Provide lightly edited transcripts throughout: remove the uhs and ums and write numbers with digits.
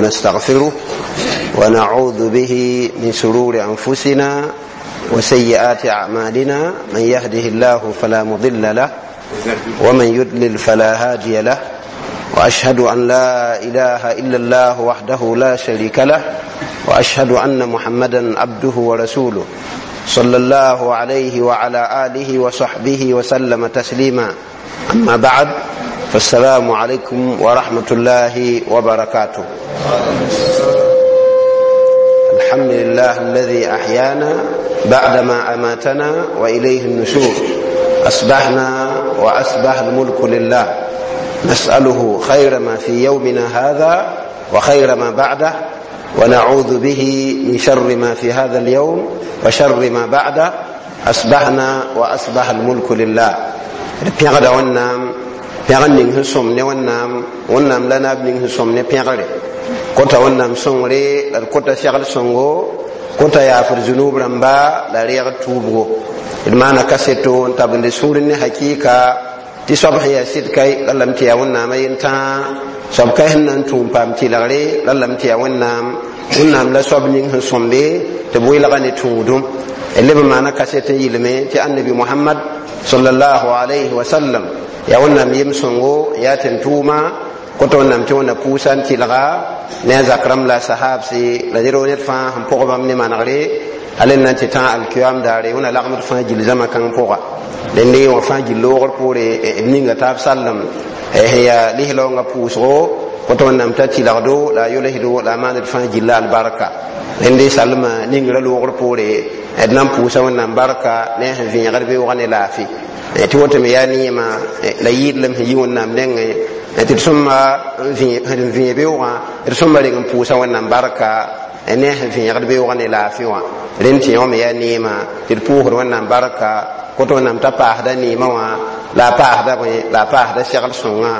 ونستغفره ونعوذ به من شرور أنفسنا وسيئات أعمالنا. من يهده الله فلا مضل له ومن يضلل فلا هادي له، وأشهد أن لا إله إلا الله وحده لا شريك له، وأشهد أن محمدا عبده ورسوله صلى الله عليه وعلى آله وصحبه وسلم تسليما. أما بعد، فالسلام عليكم ورحمة الله وبركاته. الحمد لله الذي أحيانا بعدما أماتنا وإليه النشور. أصبحنا وأصبح الملك لله، نسأله خير ما في يومنا هذا وخير ما بعده، ونعوذ به من شر ما في هذا اليوم وشر ما بعده. أصبحنا وأصبح الملك لله. Pẽgda Wẽnnaam, pẽgr ning sẽn sõm ne Wẽnnaam, Wẽnnaam la naab ning sẽn sõm ne pẽgre. Kõta Wẽnnaam sõngre la d kõta segl sõngo, kõta yaafd zunub rãmba la reegd tuubgo. D maana kaseto n tabende sũur ne hakɩɩka tɩ soab sẽn yaa sɩd kai ralame tɩ yaa Wẽnnaam a yentãa, soab kai sẽn na n tũum paam tɩlgre ralame tɩ yaa Wẽnnaam, Wẽnnaam la soab ning sẽn sõmbe tɩ b welga ne tũudum. Leb n maana kaset n yɩlme tɩ Annabi Mohamad sallallahu alayhi wa sallam yaa Wẽnnaam yem sõngo, yaa tẽn-tʋʋma. Kõta Wẽnnaam tɩ Wẽnna pʋʋsa n tɩlga ne a zak rãmb la a sahaabse la ned ned fãa sẽn pʋg bãmb ne manegre hal n na n tɩ tã alkiyam daare. Wẽnna lagmd fãa gill zãma kãng pʋga. Dẽnde wã fãa gill loogr poore d ninga taab sallem sẽn yaa lislaoongã pʋʋsgo. Kõta Wẽnnaam t'a tɩlgdo la a yolsdo la a maand fãa gilla albarka. Rẽnde salma ningrã loogr poore d na n pʋʋsa Wẽnnaam barka ne sẽn vẽegd beoogã ne laafɩ, tɩ woto me yaa neema la yɩɩdlem sẽn yi Wẽnnaam nengẽ tɩ d sõma n vẽe beoogã, d sõma reng n pʋʋsa Wẽnnaam barka ne sẽn vẽegd beoogã ne laafɩ wã. Rẽnd tɩ yõ me yaa neema tɩ d pʋʋsd Wẽnnaam barka. Kõta Wẽnnaam t'a paasda neemã wã la a paasda bõe la a paasda segl sõngã,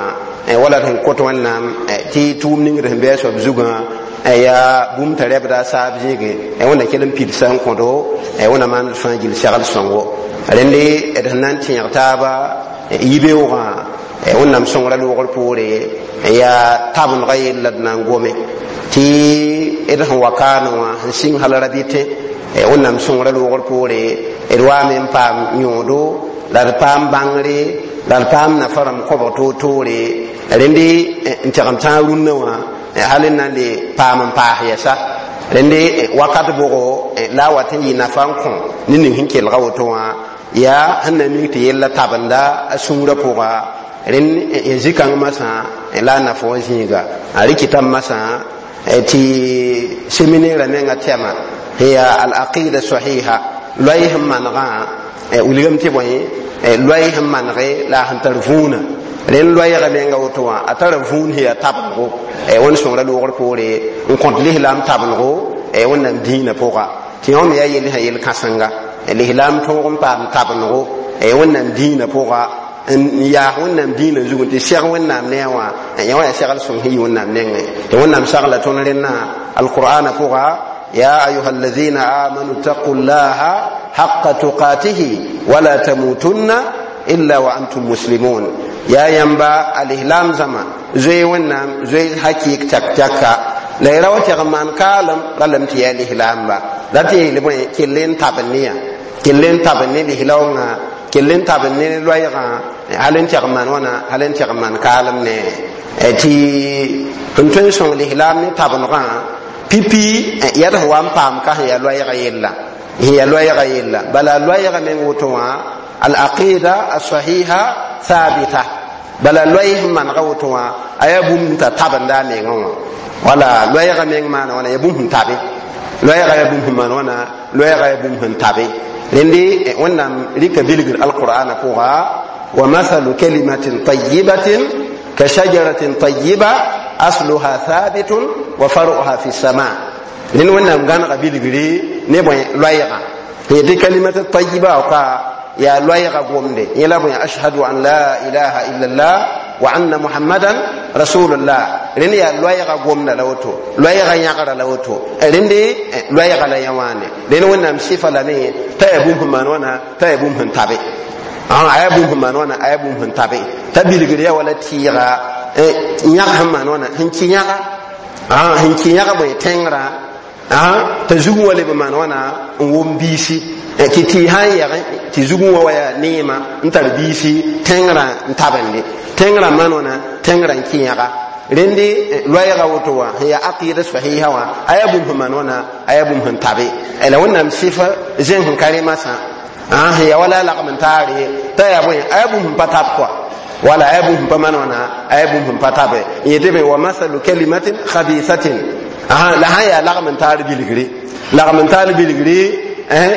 wala d sẽn kõt Wẽnnaam tɩ tʋʋm ningd sẽn bɩ a soab zugã yaa bũmb t'a rɛbda a saab zĩige, Wẽnna kell n pidsa n kõdo, Wẽnna maand fãa gill segl sõngo. Rẽnde d sẽn na n tẽeg taaba yibeoogã Wẽnnaam sõngrã loogr poore yaa tabendga yella d na n gome tɩ d sẽn wa kaane wã sẽn sɩng hal rabɩtẽ. Wẽnnaam sõngrã loogr poore d waame n paam yõodo la d paam bãngre la d paam nafa rãmb kõbg toor-toore. Rẽnde n tẽgem tãag rũnnã wã hal n na n le paam n paas yɛsa. Rẽnde wakat bʋgo la a wat n yɩ nafa n kõ ne ning sẽn kelga woto wã yaa sẽn na mik tɩ yella tabenda a sũurã pʋga. Rẽnd zĩ-kãng masã la a nafa wã zĩiga a rɩkɩtame masã tɩ seminera menga tɛma sẽn yaa al-aqida sahiha, loɛɛ sẽn manegã. Wilgame tɩ bõe, loɛɛ sẽn manege la a sẽn tar vũunã. Rẽnd loɛɛga menga woto wã a tara vũun sẽn yaa tabendgo Wẽnd sõngrã loogr poore n kõt lislaam tabendgo Wẽnnaam dĩinã pʋga, tɩ yõ me yaa yell sã yel kãsenga lislaam tõog n paam tabendgo Wẽnnaam dĩinã pʋga n yaas Wẽnnaam dĩinã zug n tɩ seg Wẽnnaam ne a wã. Yã wã yaa segl sõng sẽn yi Wẽnnaam nengẽ, tɩ Wẽnnaam sagla tõnd rẽnnã alqur'ana pʋga: يا أيها الذين آمنوا اتقوا الله حق تقاته ولا تموتن إلا وأنتم مسلمون. يا ينبا الإسلام زما زي ونام زي حقيق تك تكا لا يراو تغمان كالم لم تي الإسلام با لا تي لبون كلين تابنيا كلين تابني الإسلام كلين تابني لويغا هلن تغمان وانا هلن تغمان كالم ne ti tun song الإسلام ne tabnga pipi yad sẽn wa n paam ka sẽn yaa loɛɛga yella, sẽn yaa loɛɛga yella. Bala loɛɛga meng woto wã al-aqida as-sahiha thabita, bala loɛɛ sẽn manega woto wã a yaa bũmb t'a tabenda a mengã wã. Wala loɛɛga meng maana wãna yaa bũmb sẽn tabe, loɛɛga yaa bũmb sẽn maan wãna, loɛɛga yaa bũmb sẽn tabe. Rẽnde Wẽnnaam rɩka bilgr alqur'ana pʋga: wa mathalu kalimatin tayibatin ka shajaratin tayiba asluha thabitun wa faruha fi sama. Rẽnd Wẽnnaam gãnega bilgre ne bõe loɛɛgã tɩ kalimata tayiba ka yaa loɛɛga gomde yẽ la bõe ashhadu an la ilaha illallah wa anna muhammadan rasulullah. Rẽnd yaa loɛɛga gomda la woto, loɛɛga yãgra la woto, rẽnde loɛɛga la yã wãane. Rẽnd Wẽnnaam sɩfa lame t'a yaa bũmb sẽn maan wãna, t'a yaa bũmb sẽn tabe, a yaa bũmb sẽn maan wãna, a yaa bũmb sẽn tabe, t'a bilgr yaa wala tɩɩga yãg sẽn maan wãna sẽn kɩ yãga. Sẽn kẽ yãg bõe tẽngrã t'a zugẽ wa leb n maan wãna n wom biisi tɩ tɩ sã n yɛgẽ tɩ zugẽ wa wa yaa neema n tar biisi tẽngrã n tabende tẽngrã maan wãna tẽngrã n kẽ yãga rẽnde loɛɛga woto wã sẽn yaa aqɩda sahiha wã a yaa bũmb sẽn maan wãna a yaa bũmb sẽn tabe la Wẽnnaam sɩf zẽng sẽn ka rẽmasã sẽn yaa wala lagm n taare t'a yaa bõe a yaa bũmb sẽn pa tab kɔa wala a yaa bũmb sẽn pa maan wãna a yaa bũmb sẽn pa tabe n yetɩ be wa masalu kalimatin khabisatin la sãn yaa lagm n taar bilgre lagm n taar bilgre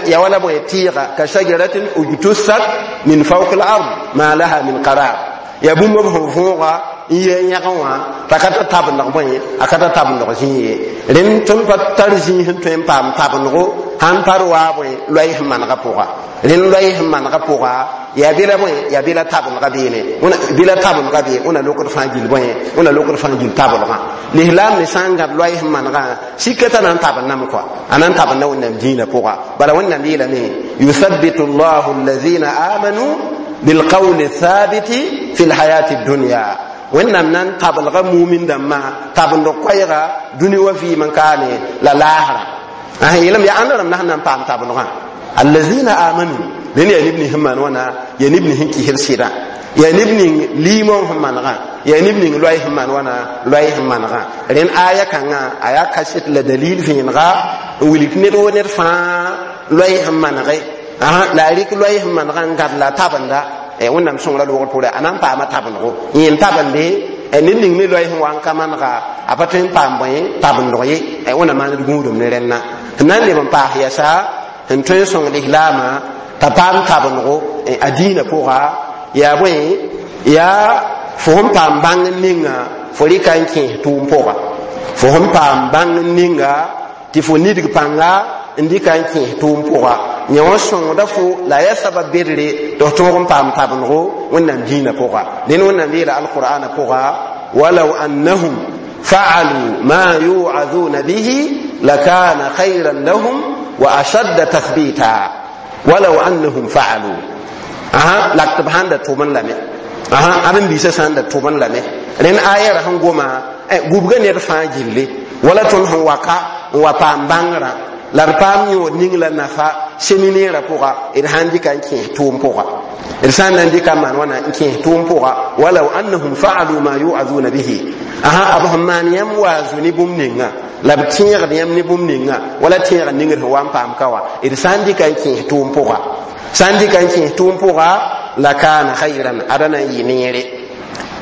ya wala bõe tɩɩga ka shajaratin ujtussat min fawq al ard ma laha min qarar ya bũmb b sẽn võoga n yɩ yãgẽ wã t'a ka ta tabendg bõe a ka ta tabendg zĩig ye rẽnd tõnd pa tar zĩig sẽn tõe n paam tabendgo sãn par waa bõe loɛɛ sẽn manegã pʋga rẽnd loɛɛ sẽn manegã pʋga yaa bɩla bõe yaa bɩla tabendga beene bɩla tabendga bee wẽna lokd fãa gill bõe wẽna lokd fãa gill tablgã lislaam me sã n gãb loɛɛ sẽn manegã sika t'a na n tabendame kɔa a na n tabenda Wẽnnaam dĩinã pʋga bala Wẽnnaam yeelame yuthabitu llahu alladhina amanu bilqawli thabiti fi lhayati dunya Wẽnnaam na n tablga mumin dãmbã tabend koɛɛga dũni wa vɩɩm n kaane la laasra yeelame yaa ãnd rãmb na sẽn na n paam tabendgã allazina amanu rẽnd yaa neb ning sẽn maan wãna yaa neb ning sẽn kɩsd sɩdã yaa neb ning liimong sẽn manegã yaa neb ning loɛɛ sẽn maan wãna loɛɛ sẽn manegã rẽnd aya kãngã a yaa kaset la dalil vẽenega n wilg ned wo ned fãa loɛɛ sẽn manege la a rɩk loɛɛ sẽn manegã n gãd la a tabenda Wẽnnaam sõngra loogr pʋgre a na n paama tabendgo yẽ n tabende ned ning me loɛɛ sẽn wa n ka manega a pa tõe n paam bõe tabendg ye Wẽnnaam maand gũudum ne rẽnna sẽn na n leb n paas yɛsa sẽn tõe n sõng lislaamã t'a paam tabendgo a dĩinã pʋga yaa bõe yaa fo sẽn paam bãng ninga fo rɩka n kẽes tʋʋm pʋga fo sẽn paam bãng ninga tɩ fo nidg pãnga n dɩka n kẽes tʋʋm pʋga yẽ wã sõngda fo la a yaa sabab bedre tɩ f tõog n paam tabendgo Wẽnnaam dĩinã pʋga dẽn Wẽnnaam yeela alqur'ana pʋga walaw annahum fa'alu ma yu'azuna bihi lakana khayran lahum wa ashadda tathbita walaw annahum fa'alu la tɩ b sãn da tʋmẽ lame ãdem-biisã sã n da tʋmẽ lame rẽnd ayɛra sẽn goma gubga ned fãa gilli wala tõnd sẽn wa ka n wa paam bãngrã la d paam yõod ning la nafa seminɛɛrã pʋga d sã n dɩka n kẽes tʋʋm pʋga d sã n na n dɩka n maan wãna n kẽes tʋʋm pʋga walaw annahum fa'alu ma yu'azuna bihi b sẽn maan yãmb waazu ne bũmb ninga la b tẽegd yãmb ne bũmb ninga wala tẽegd ningd sẽn wa n paam ka wã d sã n dɩka n kẽes tʋʋm pʋga sã n dɩka n kẽes tʋʋm pʋga la kaana khayran ada na n yɩ neere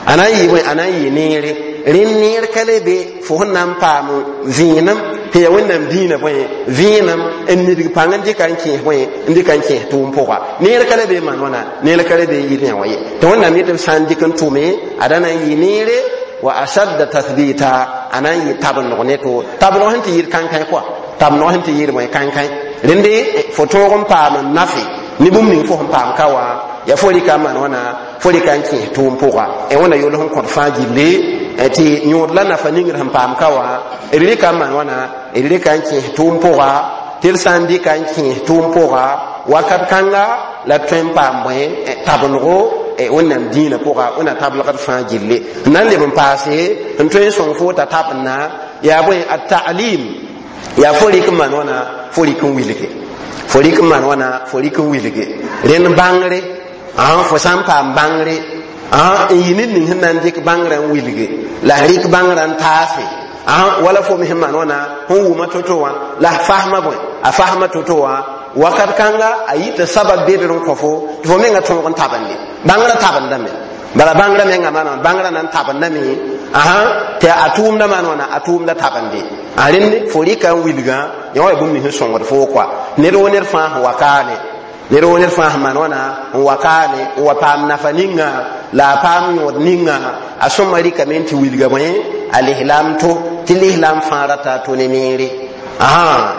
a na n yɩ bõe a na n yɩ neere rẽnd neer ka le be fo sẽn na n paam vẽenem sẽn yaa Wẽnnaam dĩinã bõe vẽenem n nidg pãng n dɩka n kẽes bõe n dɩka n kẽes tʋʋm pʋga neer ka le be maan wãna neer ka le be yɩd yã wa ye tɩ Wẽnnaam yetɩ b sã n dɩk n tʋme ada na n yɩ neere wa ashadda tathbita a na n yɩ tabendg ne to tabendg sẽn tɩ yɩd kãnkãe kɔa tabendg sẽn tɩ yɩd bõe kãnkãe rẽnde fo tõog n paam n nafe ne bũmb ning fo sẽn paam ka wã yaa fo rɩka n maan wãna fo rɩka n kẽes tʋʋm pʋga Wẽnna yol sẽn kõt fãa gilli tɩ yõod la nafa ningd sẽn paam ka wã d rɩka n maan wãna d rɩka n kẽes tʋʋm pʋga tɩ d sã n dɩka n kẽes tʋʋm pʋga wakat kãnga la d tõe n paam bõe tabendgo Wẽnnaam dĩinã pʋga Wẽnna tablgd fãa gilli n na n leb n paase n tõe n sõng fo t'a tabendna yaa bõe a ta'lim yaa fo rɩk n maan wãna fo rɩk n wilge fo rɩk n maan wãna fo rɩk n wilge rẽnd bãngre fo sã n paam bãngre n yɩ ned ning sẽn na n dɩk bãngrã n wilge la rɩk bãngrã n taase wala fo me sẽn maan wãna sẽn wʋma to-to wã la a fasma bõe a fasma to-to wã wakat kãnga a yita sabab bedr n kõ fo tɩ fo menga tõog n tabende bãngrã tabendame bala bãngrã menga maana bãngrã na n tabendame tɩ a tʋʋmda maan wãna a tʋʋmda tabende a rẽnd fo rɩka n wilgã yã wa ya bũmb ning sẽn sõngd foo kɔa ned wo ned fãa sẽn wa kaane ned wo ned fãa sẽn maan wãna n wa kaane n wa paam nafa ninga la a paam yõod ninga a sõma rɩkame n tɩ wilga bõe a lislaam to tɩ lislaam fãa rata a to ne neere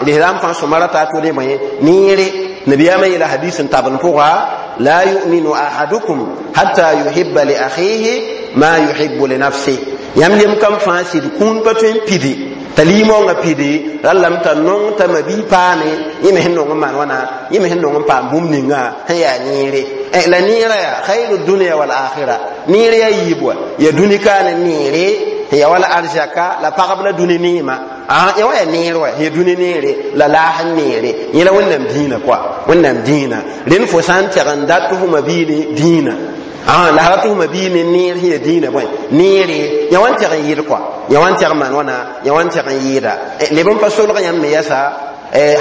lislaam fãa sõma rata a to ne bõe neere nabiyaamã yeela hadis n tabend pʋga la yuminu ahadukum hatta yuhibba li akhihi ma yuhibbu li nafsih yãmb yem kam fãa sɩd kũun pa tõe n pidi t'a limaoongã pidi rallame t'a nong t'a mabi paane yẽ me sẽn nong n maan wãna yẽ me sẽn nong n paam bũmb ninga sẽn yaa neere la neerã yaa khayru dunia wal akhira neer yaa yiib wa yaa dũni kaane neere Ya wala arzaka la pagb la dũni neema ya wa ya neer wa ya dũni neere la laas n neere yẽ la Wẽnnaam dĩinã koa Wẽnnaam dĩinã rẽnd fo sã n tɛg n dat tɩ f ma biile dĩinã la sã tɩ f ma biig ne neer sẽn ya dĩinã bõe neere yã wa n tɛg n yɩɩd koa yã wa n tɛg n maan wãna yã wa n tɛg n yɩɩda leb n pa solg yãmb me yɛsa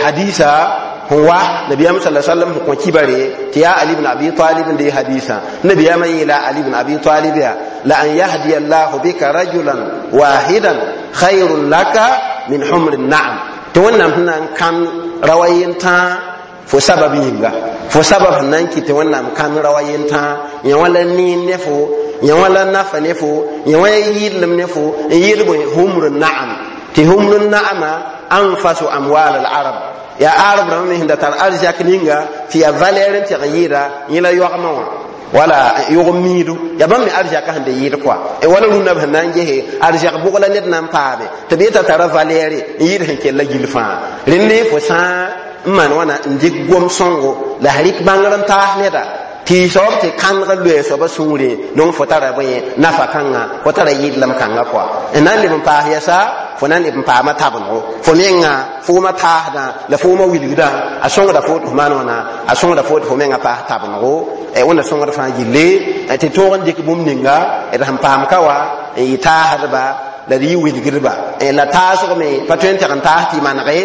hadisa sẽn wa nabiyaam sala sallam sẽn kõ kibare tɩ yaa Ali bn Abi Talib n dee hadisã nabiyaamã yeela Ali bn Abi Talib yaa la an yahdiya allahu bika rajulan wahidan khayrun laka min humri na'am tɩ Wẽnnaam sẽn na n kãn rawa yentã fo sabab yĩnga fo sabab sẽn na n kɩt tɩ Wẽnnaam kãn rawa yentã yã wã la neer ne fo yã wã la nafa ne fo yã wã ya yɩɩdlem ne fo n yɩɩd bõe humru na'am tɩ humru na'ama anfasu amwal al arab yaa arab rãmba me sẽn da tar arzak ninga tɩ yaa valɛɛr n tɛg n yɩɩda yẽ la yoagmã wã wala yʋgem miidu yaa bãmb me arzakã sẽn da yɩɩd koa wala rũnnã b sẽn na n gese arzak bʋg la ned na n paame tɩ b yeta tara valɛɛre n yɩɩd sẽn kell la gill fãa rẽnd fo sã n maan wãna n dɩk gom sõngo la s rɩk bãngr n taas neda tɩ soab tɩ kãneg loɛɛ soaba sũurẽ donc fo tara bõe nafa kãnga fo tara yɩɩdlem kãnga koa n na n leb n paas yɛsa fo na n leb n paama tabenggo fo menga fooma taasdã la fooma wilgdã a sõngda fo tɩ f maan wãna a sõngda fo tɩ fo menga paas tabenggo Wẽnna sõngd fãa gilli tɩ toog n dɩk bũmb ninga d sẽn paam ka wa n yɩ taasdba la d yɩ wilgdba la taasg me pa tõe n tɛg n taas tɩ manege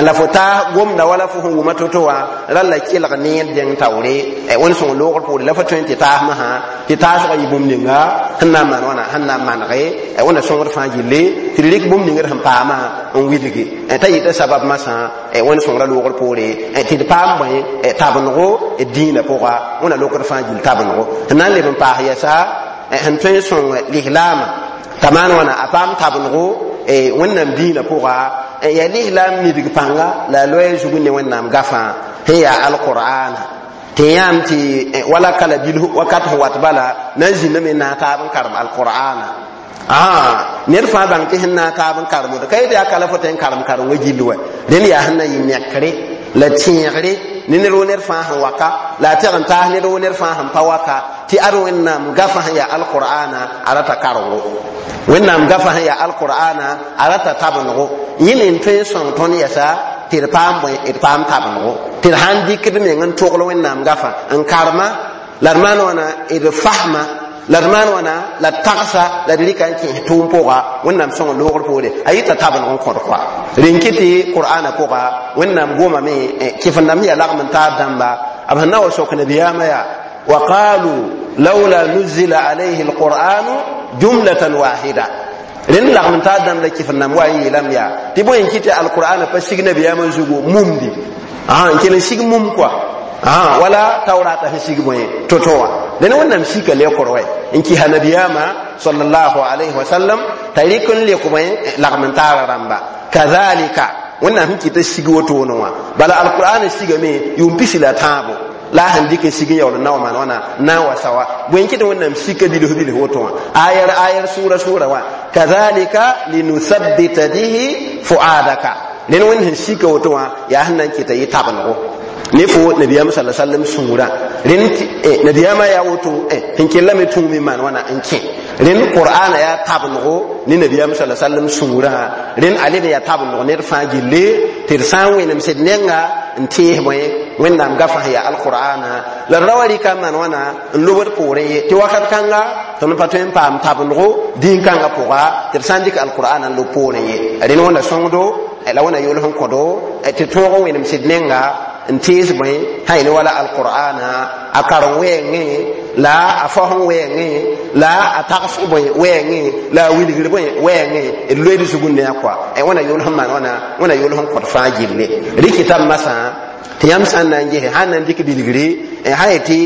la fo taas gomda wala fo sẽn wʋma to-to wã rall la kelg neer dẽng taoore Wẽnd sõng loogr poore la fo tõe n tɩ taas masã tɩ taasgã yɩ bũmb ninga sẽn na n maan wãna sẽn na n manege Wẽnna sõngd fãa gilli tɩ d rɩk bũmb ning d sẽn paamã n wilgi t'a yɩta sabab masã Wẽnd sõngra loogr poore tɩ d paam bõe tabenggo d dĩinã pʋga Wẽnna lokd fãa gill tabenggo sẽn na n leb n paas yɛsa sẽn tõe n sõng lislaamã t'a maan wãna a paam tabenggo Wẽnnaam dĩinã pʋga yaa lislaam midg pãnga la a loɛɛ zug ne Wẽnnaam gafã sẽn yaa alqur'ana tɩ yãam tɩ wala kala bil wakat sẽn wat bala na n zĩndame n naag taab n karem alqur'ana ned fãa bãng tɩ sẽn naag taab n karemd ka yetɩ yaa kala fo tɩ n karem karengã gill wa rẽnd yaa sẽn na yɩ nekre la tẽegre ne ned wo ned fãa sẽn waka la a tɛg n taas ned wo ned fãa sẽn pa waka tɩ ad Wẽnnaam gafã sẽn yaa alqur'ana a rata karengo Wẽnnaam gafã sẽn yaa alqur'ana a rata tabenggo yẽ n tõe n sõng tõnd yɛsa tɩ d paam bõe d paam tabenggo tɩ d sãn dɩkd meng n togl Wẽnnaam gafã n karema la d maan wãna d fasma la d maan wãna la d tagsa la d rɩka n kẽes tʋʋm pʋga Wẽnnaam sõng loogr poore a yɩta tabengg n kõd koa rẽn kɩ tɩ qur'ana pʋga Wẽnnaam gomame kɩf-n-dãmb yaa lagm n taab dãmba b sẽn na wa sok nabiyaamã yaa wa qalu laula nuzila alayhi alqur'anu jumlatan wahida rẽnd lagm n taab dãmb la kɩf-n-dãmb wa n yeelame yaa tɩ bõe n kɩ tɩ alqur'ana pa sig nabiyaamã zugu mumdi n kell n sig mum koa wala taurata sẽn sig bõe to-to wã dẽn Wẽnnaam sika lekr wɛ n kɩsa nabiyaamã sallallahu alayhi wa sallam t'a rɩk n lek bõe lagm n taara rãmba kazalika Wẽnnaam sẽn kɩt sig wotone wã bala alqur'ana sigame yʋʋm pisi la tãabo la sẽn dɩk n sig n yaool n na wa maan wãna na n wa sawa bõe n kɩt Wẽnnaam sika bilf bilf woto wã ayɛr ayɛr sʋʋra sʋʋra wã kazalika linuthabbita bihi fuadaka rẽnd Wẽnd sẽn sika woto wã yaa sẽn na n kɩta yɩ tabenggo ne fo nabiyaam sala sallam sũurã rẽnd nabiyaamã yaa woto sẽn kellame tũum n maan wãna n kẽ rẽnd qur'ana yaa tabenggo ne nabiyaam sala sallam sũurã rẽnd a leb n yaa tabengg ned fãa gilli tɩ d sã n wẽnem sed nenga n tees bõe Wẽnnaam gafã sẽn yaa alqur'ana la d ra wa rɩka n maan wãna n lobd poorẽ ye tɩ wakat kãnga tõnd pa tõe n paam tabenggo dĩn-kãngã pʋga tɩ d sã n dɩk alqur'ana n lob poorẽ ye rẽnd Wẽnna sõngdo la Wẽnna yools n kõdo tɩ tõog n wẽnem sed nenga n tees bõe sã yẽ wala alqur'ana a karen wɛɛngẽ la a fao wɛɛngẽ la a tagsg bõe wɛɛngẽ la a wilgr bõe wɛɛngẽ d loeed zugr ne a koa Wẽnna yools n maan wãna Wẽnna yools n kõt fãa gilli rɩkɩta b masã tɩ yãmb sã n na n gese sã n na n dɩk bilgre sã yetɩ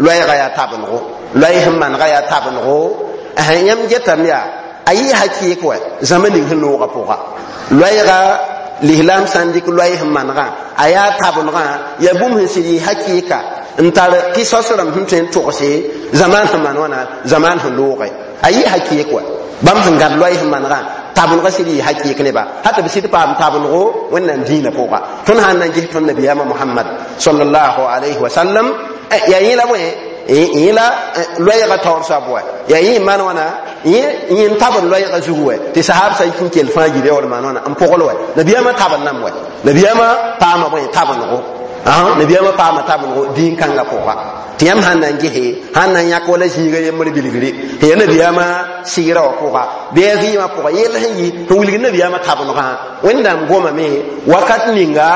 loɛɛga yaa tabenggo loɛɛ sẽn manega yaa tabenggo yãmb getame yaa a yɩ hakɩɩk wa zãma ning sẽn loogã pʋga loɛɛga lislaam sã n dɩk loɛɛ sẽn manegã a yaa tabengã yaa bũmb sẽn sɩd yɩ hakɩɩka n tar kɩsos rãmb sẽn tõe n togse zamaan sẽn maan wãna zamaan sẽn looge a yɩ hakɩɩk wa bãmb sẽn gãd loɛɛ sẽn manegã tabengã sɩd yɩ hakɩɩk neba hal tɩ b sɩd paam tabenggo Wẽnnaam dĩinã pʋga tõnd sã n na n ges tõnd nabiyaamã Mohamad sallallahu alayhi wa sallam yaa yẽ la bõe yẽ la loɛɛgã taoor soab wa yaa yẽ maan wãna Yẽ n tabr loɛɛgã zug wɛ tɩ sahab sã n kell fãa yire wala maan wãna n pogl wɛ. Nabiyaamã tabr nam wɛ, nabiyaamã paama bõe? Tabenggo. Nabiyaamã paama tabenggo dĩn-kãngã pʋga tɩ yãmb sãn na n gese, sãn na n yãk wala zĩiga yembr bilgre tɩ ya nabiyaamã sɩɩrã wã pʋga bɩ a vɩɩmã pʋga yell sẽn yɩ sẽn wilgd nabiyaamã tabengã. Wẽnnaam gomame wakat ninga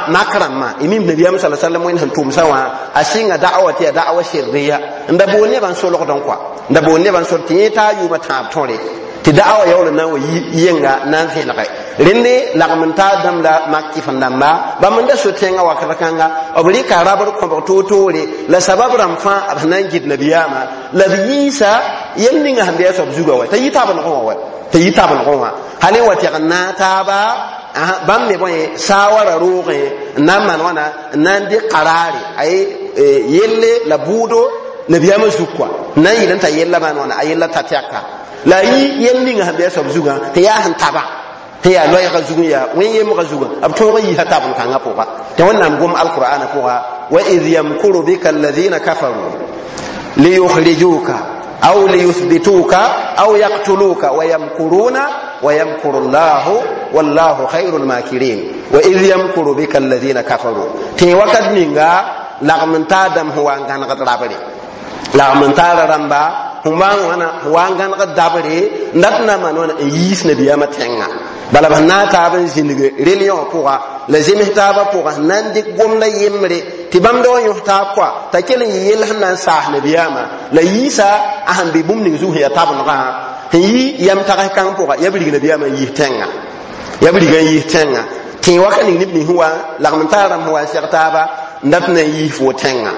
mak rãmbã y mim nabiyaam sa sallam wẽnd sẽn tʋmsã wã a sɩnga da'wa tɩ yaa da'wa sirriya n da boon nebã n solgd n kɔa, n da boon nebã n solg tɩ yẽ taa yʋʋmã tãab tõre tɩ da'wa yaool n na n wa yenga na n vẽlge rẽnde lagm n taa dãmb la mak kɩf n dãmba bãmb n da so tẽngã wakat kãnga b rɩka rabr kõbg toor-toore la sabab rãmb fãa b sẽn na n gɩd nabiyaamã la b yiisa yel ninga sẽn be a soab zugã wa t'a yɩ tabengẽ wã wa t'a yɩ tabengẽ wã hal n wa tɛg n naag taaba. Bãmb me bõe saawara roogẽ n na n maan wãna n na n dɩk qaraare ay yelle la bʋʋdo nabiyaamã zug kɔa n na n yɩl n t'a yella maan wãna a yella ta tɛka la a yɩ yel ninga sẽn be a soab zugã tɩ yaa sẽn taba tɩ yaa loɛɛgã zug n yaa wẽn-yemgã zugã b tõog n yiisa tabeng-kãngã pʋga tɩ Wẽnnaam gom alqur'ana pʋga: wa id yamkuru bika alladhina kafaru liyukhrijuka aw liyuthbituka aw yaqtuluka wa yamkuruna wa yamkuru llahu wallahu khairul makirin. Wa id yamkuru bika alladhina kafaru, tɩ wakat ninga lagm n taa dãmb sẽn wa n gãnegd rabre, lagm n taara rãmba sẽn wa n wãna sẽn wa n gãnegd dabre n dat n na n maan wãna n yiis nabiyaamã tẽngã. Bala b sẽn na n taab n zĩnig religion wã pʋga la zems taabã pʋga sẽn na n dɩk gomda yembre tɩ bãmb da wa yõs taab kɔa t'a kell n yɩ yell sẽn na n saas nabiyaamã la yiisa a sẽn be bũmb ning zug sẽn yaa tabengã sẽn yɩ yam tags kãng pʋga ya b rig nabiyaamã n yiis tẽngã, ya b riga n yiis tẽngã tẽ waka ning neb nins sẽn wa lagm n taar rãmb sẽn wa n seg taaba n dat n na n yiis fo tẽngã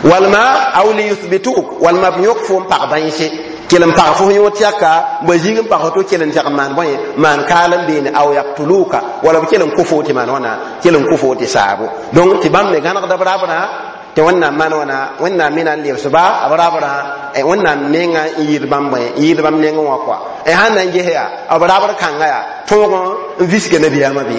walma aw liyuthbituk walma b yõk fo n pag bãense kell n pag fo yõ tɛka ba zĩig n pag to kell n tɛg n maan bõe maan kaal n beene aw yaktuluka wala b kell n kʋ fo tɩ maan wãna kell n kʋ fo tɩ saabo. Donc tɩ bãmb me gãnegda b rabrã tɩ Wẽnnaam maan wãna Wẽnnaam me na n lebsba b rabrã Wẽnnaam menga n yɩɩd bãmb bõe n yɩɩd bãmb nengẽ wã kɔa. Sãn na n ges yaa b rabr kãnga yaa tõog n visga nabiyaamã bɩ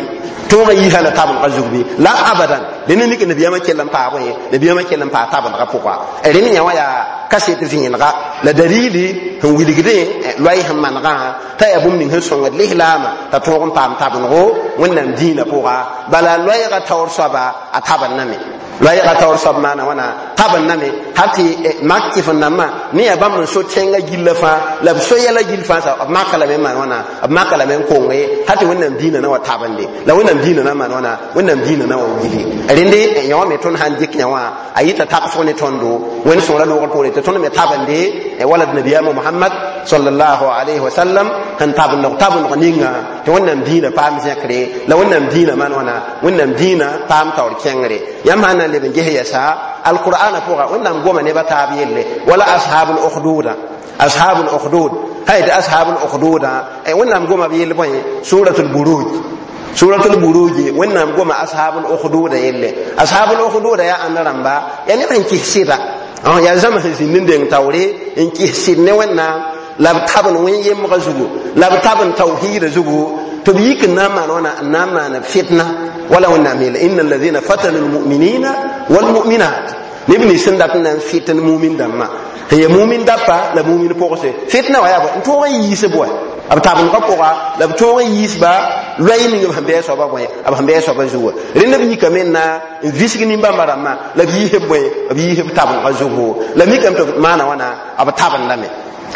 tõog n yiisa la tabengã zug bɩ la abadan dẽnd mik nabiyaamã kell n paa bõe nabiyaamã kell n paa tabengã pʋga. Rẽnd yã wã yaa kaset vẽenega la dalili sẽn wilgdẽ loay sẽn manegã t'a yaa bũmb ning sẽn sõngd lislaamã t'a tõog n paam tabengo Wẽnnaam dĩinã pʋga. Bala loɛɛgã taoor soaba a tabendame, loɛɛgã taoor soab maana wãna tabendame hal tɩ mak kɩf n dãmbã ne yaa bãmb n so tẽngã gillã fãa la b so yɛla gill fãa sa b maka lame n maan wãna b maka lame n konge hal tɩ Wẽnnaam dĩinã na wa tabende la Wẽnnaam dĩinã na maan wãna Wẽnnaam dĩinã na wa wili. Rẽnde yã wã me tõnd sãn dɩk yã wã a yɩta tagsg ne tõndo Wẽnd sõora loogr poore tɩ tõnd me tabende wala d nabiyaamã Mohamad sallallahu alayhi wa sallam sẽn tabendg tabendg ninga tɩ Wẽnnaam dĩinã paam zẽkre la Wẽnnaam dĩinã maan wãna Wẽnnaam dĩinã paam taoor kẽngre. Yãmb sãn na n leb n ges yɛsa alqur'ana pʋga Wẽnnaam goma nebã taab yelle wala ashabul ukhduda, ashabul ukhdud hay tɩ ashabul ukhduda Wẽnnaam goma b yell bõe suratul Buruj, suratul Buruj. Wẽnnaam goma ashabul ukhduda yelle. Ashabul ukhduda yaa ãnd rãmba? Yaa neb sẽn kɩs sɩda, yaa zãma sẽn zĩnd n deng taoore n kɩs sɩd ne Wẽnnaam la b tabn wẽn-yemgã zugu la b tabn tawhiidã zugu tɩ b yik n na n maan wãna n na n maan fitna wala Wẽnnaam yeela inna alladhina fatanu lmuminina walmuminat neb nins sẽn dat n na n fɩtn mumin dãmbã sẽn yaa mumin dapa la mumin pʋgse fitna wã yaa bõe n tõog n yiis bʋɛ b tabengã pʋga la b tõog n yiisba loɛɛ ning b sẽn bɩ a soaba bõe b sẽn bɩ a soaba zugu. Rẽnd b yikame n na n visg nin-bãmba rãmbã la b yiis b bõe b yiis b tabengã zugu la mikame tɩ b maana wãna b tabendame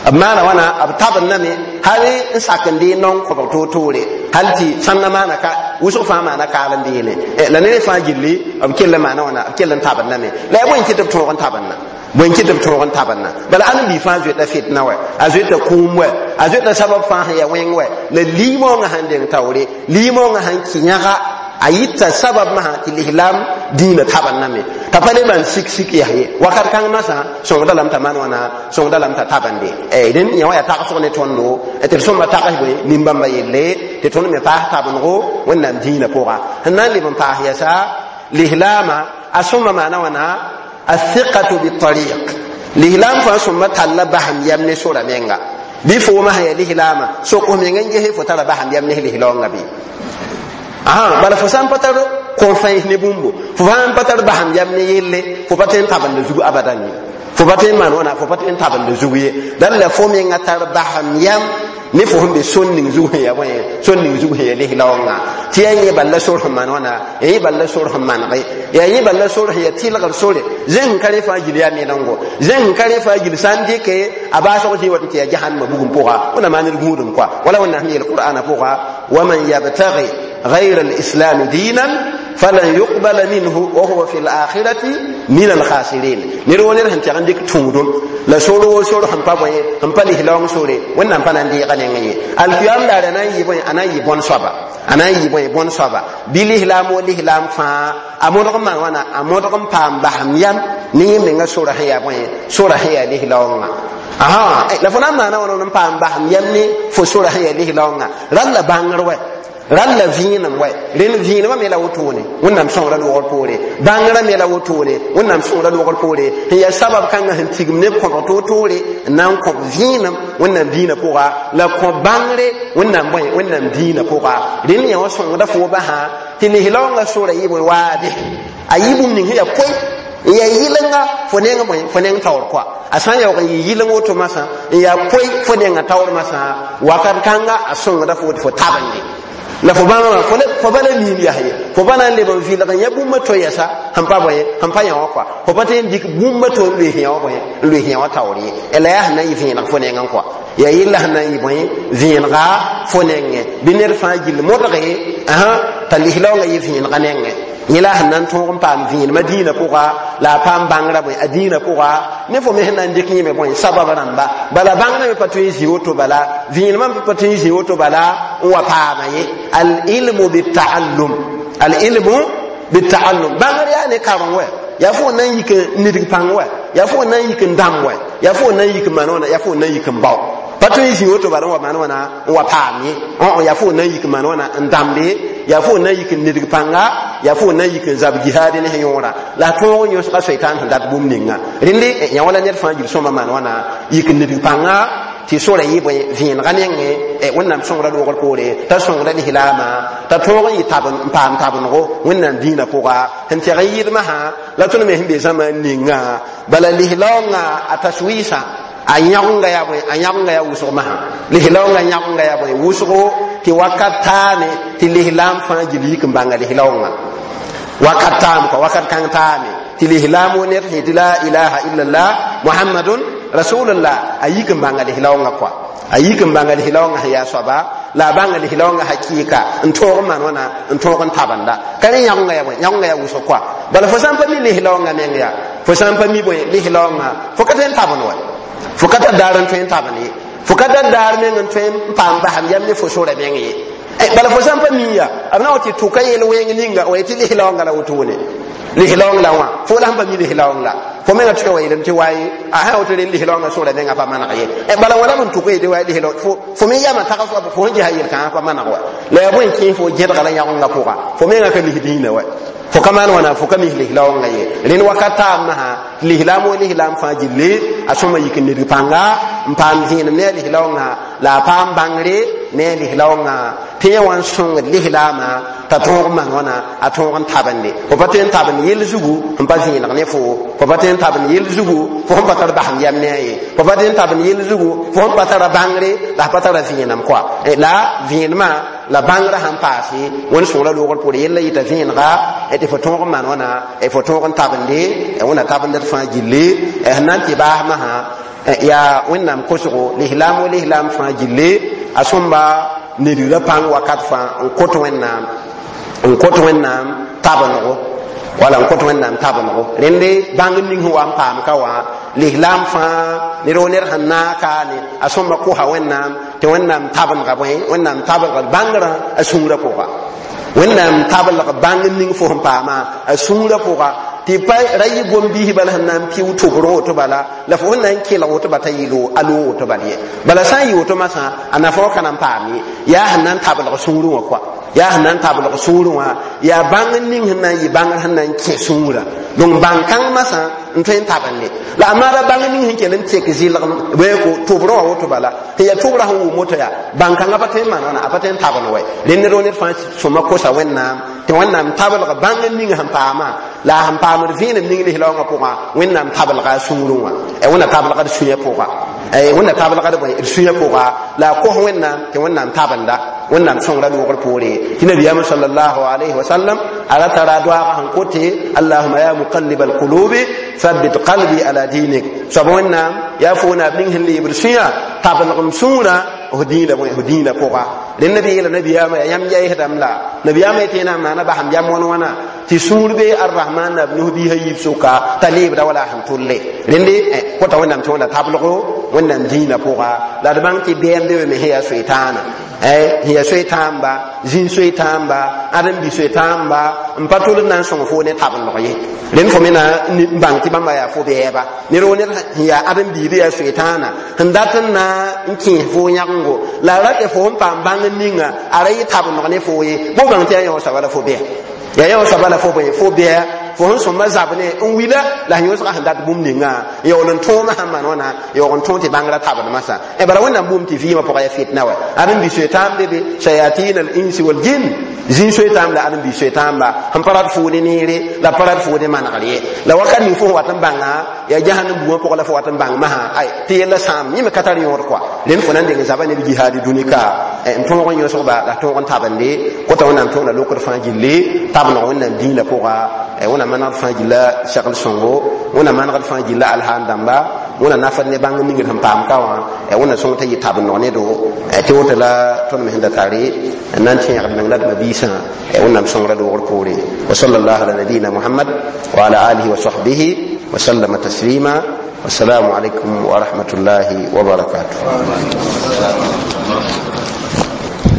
b maana wãna b tabendame hal n sak n dee naong kõbg toor-toore hal tɩ sãnda maana ka wʋsg fãa maana kaal n beene la ned fãa gilli b kell n maana wãna b kell n tabendame la yaa bõe n kɩt b tõog n tabendã bõe n kɩt b tõog n tabendã. Bala ãn bi fãa zoeta fitna wɛ a zoeta kũum wɛ a zoeta sabab fãa sẽn yaa wẽng wɛ la liimoongã sẽn deng taoore liimoongã sẽn kɩ yãga a yɩta sabab masã tɩ lislaam dĩinã tabendame t'a pa le maan sik-sik yaa ye wakat kãng masã sõngda lame t'a maan wãna sõngda lame t'a tabende. Rẽnd yã wã yaa tagsg ne tõndo tɩ d sõmba tags bõe nin-bãmbã yelle tɩ tõnd me paas tabengo Wẽnnaam dĩinã pʋga. Sẽn na n leb n paas yɛsa lislaamã a sõma maana wãna athiqatu bitariq lislaam fãa sõmba talla basem yam ne sora menga bɩ foomã sẽn yaa lislaamã sok f meng n ges fo tara basem yam ne lislaoongã bɩ bala fo sã n pa tar kõ-fãens ne bũmbo fo sã n pa tar basem yam ne yelle fo pa tõe n tabenda zug abadan ye. Fo pa tõe n maan wãna, fo pa tõe n tabend zug ye. Dal la fo menga tar basem yam ne fo sẽn be sor ning zug sẽn ya bõe, sor ning zug sẽn ya lislaoongã, tɩ yaa yẽ bal la sor sẽn maan wãna, yaa yẽ bal la sor sẽn manege, yaa yẽ bal la sor sẽn ya tɩlgr sore. Zẽng sẽn ka rẽ fãa gil yaa menengo, zẽng sẽn ka rẽ fãa gil sã n dɩke a baasg zĩ wat n tɩ yaa jahannama bugum pʋga. Wẽnnaam maa ned gũudum koa, wala Wẽnnaam sẽn yeel Qur'ana pʋga: waman yabtagi غير الإسلام دينا فلن يقبل منه وهو في الآخرة من الخاسرين. نير ونير هن تيغن ديك تودم لا سورو سورو هم با بوي هم با لهلون سوري ونام با نان دي غنين القيام دار نان يبوي انا يبون صبا انا يبوي بون صبا بلهلام ولهلام فا امودغ ما وانا امودغ پام بهم يام ني منغا سورة هيا بوي سورة هيا لهلون. Aha, la fo na n maana wãna n paam basem yam ne fo sora sẽn yaa lislaoongã rall la bãngr wɛ, rall la vẽenem wɛ. Rẽnd vẽenemã me la wotone, Wẽnnaam sõngra loogr poore, bãngrã me la wotone, Wẽnnaam sõngra loogr poore, sẽn yaa sabab kãngã sẽn tigim neb kõbg toor-toore n na n kõb vẽenem Wẽnnaam dĩinã pʋga, la kõ bãngre Wẽnnaam bõe, Wẽnnaam dĩinã pʋga. Rẽnd yã wã sõngda fo basã tɩ lislaoongã sora yɩ bõe waade, a yɩ bũmb ning sẽn yaa koe n yaa yɩlenga fo neng bõe, fo neng taoor koa. A sã n yaoog n yɩ yɩleng woto masã n yaa koe fo nenga taoor masã, wakat kãnga a sõngda fo tɩ fo tabende la fo bãmba fo pa la miim yaa ye, fo pa na n leb n vɩlg n yã bũmba to yɛsa sẽn pa bõe, sẽn pa yã wã koa. Fo pa tõe n dɩk bũmba to n loes yã wã bõe, n loes yã wã taoor ye. La yaa sẽn na n yɩ vẽeneg fo nengẽ koa, yaa yella sẽn na n yɩ bõe, vẽenega fo nengẽ. Bɩ ned fãa gill modge t'a lislaoongã yɩ vẽenega nengẽ. Yẽ la sẽn na n tõog n paam vẽenemã dĩinã pʋga, la a paam bãngrã bõe, a dĩinã pʋga. Ne fo me sẽn na n dɩk yẽme bõe, sabab rãmba bala bãngrã me pa tõe n zĩ woto, bala vẽenemã me pa tõe n zĩ woto bala n wa paama ye. Al-ilmu bitaallum, al-ilmu bitaallum, bãngr yaa ne kareng wɛ, yaa fo na n yik n nidg pãng wɛ, yaa fo na n yik n dãmb wɛ, yaa fo na n yik n maan wãna, yaa fo na n yik n bao. Pa tõe n zĩ woto bala n wa maan wãna n wa paam ye. Yaa fo na n yik n maan wãna n dãmbe, yaa fo na n yik n nidg pãnga, yaa fo na n yik n zab jihaad ne sẽn yõora, la a tõog n yõsga soitaan sẽn dat bũmb ninga. Rẽnde yã wala ned fãa gil sõma maan wãna yik n nidg pãnga tɩ sora yɩ bõe, vẽenega nengẽ. Wẽnnaam sõngra loogr poore t'a sõngra lislaamã t'a tõog n yɩ tab n paam tabenggo Wẽnnaam dĩinã pʋga sẽn tɛg n yɩɩdmã sã la tõnd me sẽn be zãma ninga. Bala lislaoongã a taswiisã a yãgenga yaa bõe, a yãgenga yaa wʋsg masã, lislaoongã yãgenga yaa bõe, wʋsgo, tɩ wakat taame tɩ lislaam fãa gil yik n bãnga lislaoongã wakat taam kɔa, wakat kãng taame tɩ lislaam wo ned sẽn tɩ la ilaha illallah muhammadun rasulullah a yik n bãnga lislaoongã kɔa, a yik n bãnga lislaoongã sẽn yaa soaba, la a bãnga lislaoongã hakɩɩka n tõog n maan wãna, n tõog n tabenda. Ka rẽ yãgenga yaa bõe, yãgenga yaa wʋsg kɔa. Bala fo sã n pa mi lislaoongã meng yaa, fo sã n pa mi bõe lislaoongã, fo ka tõe n tabend wa, fo ka tar daar n tõe n tabend ye, fo ka tar daar meng n tõe n paam basem yam ne fo sora meng ye. Bala fo sã n pa mi ya, b na wa tɩ tʋka yel wẽng ninga wa tɩ lislaoongã la wotone, lislaoong la wã fo la sẽn pa mi lislaoong la fo menga tʋka wa yeelame tɩ waye a sã woto rel lislaoongã sora menga pa maneg ye. Bala wã la b n tʋka yetɩ wa lislaoong fo me yama tags wa fo sẽn ges a yel-kãngã pa maneg wa, la yaa bõe n kẽes fo gẽdga la yãgenga pʋga, fo menga ka lis dĩinã wa, fo ka maan wãna, fo ka mis lislaoongã ye. Rẽnd wakat taab masã lislaam wo lislaam fãa gilli a sõma yik n nidg pãnga n paam vẽenem ne a lislaoongã, la a paam bãngre ne a lislaoongã tɩ yẽ wã n sõngd lislaamã t'a tõog n maan wãna, a tõog n tabende. Fo pa tõe n tabend yell zugu n pa vẽeneg ne fo, fo pa tõe n tabend yell zugu fo sẽn pa tar basem yam ne a ye, fo pa tõe n tabend yell zugu fo sẽn pa tara bãngre la pa tara vẽenem koa. La vẽenemã la bãngrã sãn paase wẽnd sõngra loogr poore yella yɩta vẽenega tɩ fo tõog n maan wãna, fo tõog n tabende Wẽnna tabendd fãa gilli sẽn na n tɩ baas masã yaa Wẽnnaam kosgo lislaam wo lislaam fãa gilli a sõmba nidgrã pãng wakat fãa n kot Wẽnnaam, n kot Wẽnnaam tabenggo, wala n kot Wẽnnaam tabenggo. Rẽnde bãng ning sẽn wa n paam ka wã lislaam fãa ned wo ned sẽn naag kaane a sõmba kosa Wẽnnaam tɩ Wẽnnaam tabengã bõe, Wẽnnaam tabelg bãngrã a sũurã pʋga, Wẽnnaam tabelg bãng ning fo sẽn paama a sũurã pʋga, tɩ pa ra yɩ gom-biis bala sẽn na n pɩ tʋbrẽ woto bala la fo sẽn na n kelg woto ba t'a yɩ a loog woto bal ye. Bala sã n yɩ woto masã a nafa ka na n paam ye, yaa sẽn na n tabelg sũurẽ wã koa, yaa sẽn na n tabelg sũurẽ wã yaa bãng ning sẽn na n yɩ bãngr sẽn na n kẽ sũurã. Donc bãng-kãng masã n tõe n tabende la a maara bãng ning sẽn kell n tek zɩlg ko tʋbrẽ wã woto bala tɩ yaa tʋbrã sẽn wʋm woto yaa bãng-kãngã pa tõe n maan wãna, a pa tõe n tabend wɛ. Rẽnd ned wo ned fãa sõma kosa Wẽnnaam Tɩ Wẽnnaam tablg bãng n ning sẽn paama la a sẽn paamd vẽenem ning lislaoongã pʋgã, Wẽnnaam tablga a sũurẽ wã, Wẽnna tablga d sũyã pʋga, Wẽnna tablga d bõe d sũyã pʋga, la a kos Wẽnnaam tɩ Wẽnnaam tabenda, Wẽnnaam sõngra loogr poore. Tɩ nabiyaamã sallallahu alayhi wa sallam a ra tara a doaagã sẽn kote: "Allahuma ya muqallib alqulubi, thabbit qalbi ala dinik." Soab Wẽnnaam, yaa fo naab ning sẽn leebd sũyã, tablg m sũurã f dĩinã bõe, f dĩinã pʋga. Rẽnd b yeela nabiyaamã yaa yãmb yaɩsdame la nabiyaamã yetɩ na n maana basem yam wãn wãna tɩ sũur bee Arrahman naab nus biisã yiib sʋka t'a leebda wala a sẽn tʋlle. Rẽnde kota Wẽnnaam tɩ Wẽnna tablgo Wẽnnaam dĩinã pʋga. La d bãng tɩ bɛɛm be me sẽn yaa soetãana, sẽn yaa soe-tãamba, zĩn soe-tãamba, ãdem-bi soe-tãamba n pa tʋl n na n sõng fo ne tablg ye. Rẽnd fo me na n bãng tɩ bãmba yaa fo bɛɛba. Ned wo ned sẽn yaa ãdem-biib yaa soe-tãana sẽn dat n na n kẽes fo yãgengo la a ratɩ fo sẽn paam bãng n ninga a ra yɩ tablg ne fo ye. Bo bãng tɩ yaa yõ soaba la fo bɛɛ, yaa yõ soaba la fo bõe, fo bɛɛ. Fo sẽn sõmba zab ne n wila la sẽn yõsga sẽn dat bũmb ninga yaool n tõoma sãn maan wãna yaoog n tõog tɩ bãngrã tabd masã. Bala Wẽnnaam bũmb tɩ vɩɩmã pʋga yaa fitna wa ãdem-bi soe-tãam be be shayatin al insi wal jin, zĩn soe-tãam la ãdem-bi soe-tãamba sẽn pa rat foo ne neere la pa rat foo ne manegr ye. La wakat ning fo sẽn wat n bãnga yaa jahannam bugã pʋgã la fo wat n bãng masã ay tɩ yella sãam yẽ me ka tar yõod kɔa. Rẽnd fo na n deng zaba neb jihaadi dũni ka n tõog n yõsgba la tõog n tabende kota Wẽnnaam tõog la lokd fãa gilli tabneg Wẽnnaam dĩinã pʋga. Wẽnnaam manegd fãa gilla segl sõngo, Wẽnnaam manegd fãa gilla alhaan dãmba, Wẽnna nafd ne bãng ningd sẽn paam ka wã, Wẽnna sõng t'a yɩ tabneg ne do tɩ woto la tõnd me sẽn da tare n na n tẽegd meng la d mabiisã. Wẽnnaam sõngra loogr poore. Wa sallallahu ala nabiyina Muhammad wa ala alihi wa sahbihi wa sallama taslima. Wassalamu alaikum wa rahmatullahi wa barakatuh.